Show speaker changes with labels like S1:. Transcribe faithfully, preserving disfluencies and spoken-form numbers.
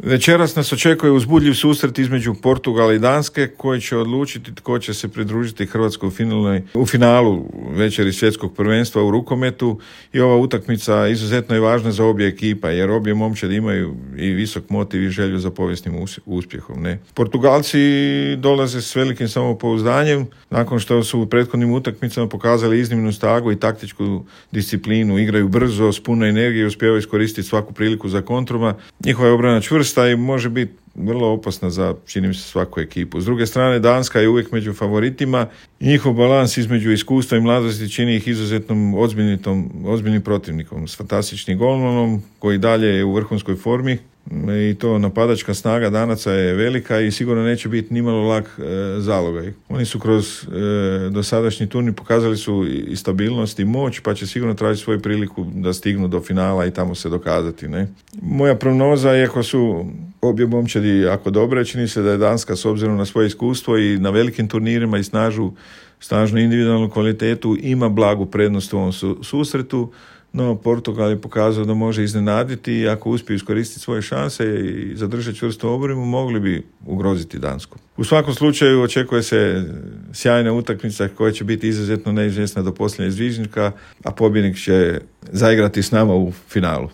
S1: Večeras nas očekuje uzbudljiv susret između Portugala i Danske koji će odlučiti tko će se pridružiti Hrvatskoj u, finalnoj, u finalu večeri svjetskog prvenstva u rukometu i ova utakmica izuzetno je važna za obje ekipa jer obje momčadi imaju i visok motiv i želju za povijesnim uspjehom. Ne? Portugalci dolaze s velikim samopouzdanjem nakon što su u prethodnim utakmicama pokazali iznimnu snagu i taktičku disciplinu, igraju brzo, s puno energije, uspijevaju iskoristiti svaku priliku za kontruma. Njihova je obrana čvrsta i može biti vrlo opasna za, čini mi se, svaku ekipu. S druge strane, Danska je uvijek među favoritima i njihov balans između iskustva i mladosti čini ih izuzetnom ozbiljnim protivnikom, s fantastičnim golmanom koji dalje je u vrhunskoj formi i to napadačka snaga Danaca je velika i sigurno neće biti nimalo lak e, zalogaj. Oni su kroz e, dosadašnji turnir pokazali su i stabilnost i moć, pa će sigurno tražiti svoju priliku da stignu do finala i tamo se dokazati. Ne? Moja prognoza, iako su obje momčadi jako dobre, čini se da je Danska s obzirom na svoje iskustvo i na velikim turnirima i snažu, snažnu individualnu kvalitetu ima blagu prednost u ovom su, susretu. No, Portugal je pokazao da može iznenaditi i ako uspiju iskoristiti svoje šanse i zadržati čvrstu obranu, mogli bi ugroziti Dansku. U svakom slučaju očekuje se sjajna utakmica koja će biti izuzetno neizvjesna do posljednjeg zviždnika, a pobjednik će zaigrati s nama u finalu.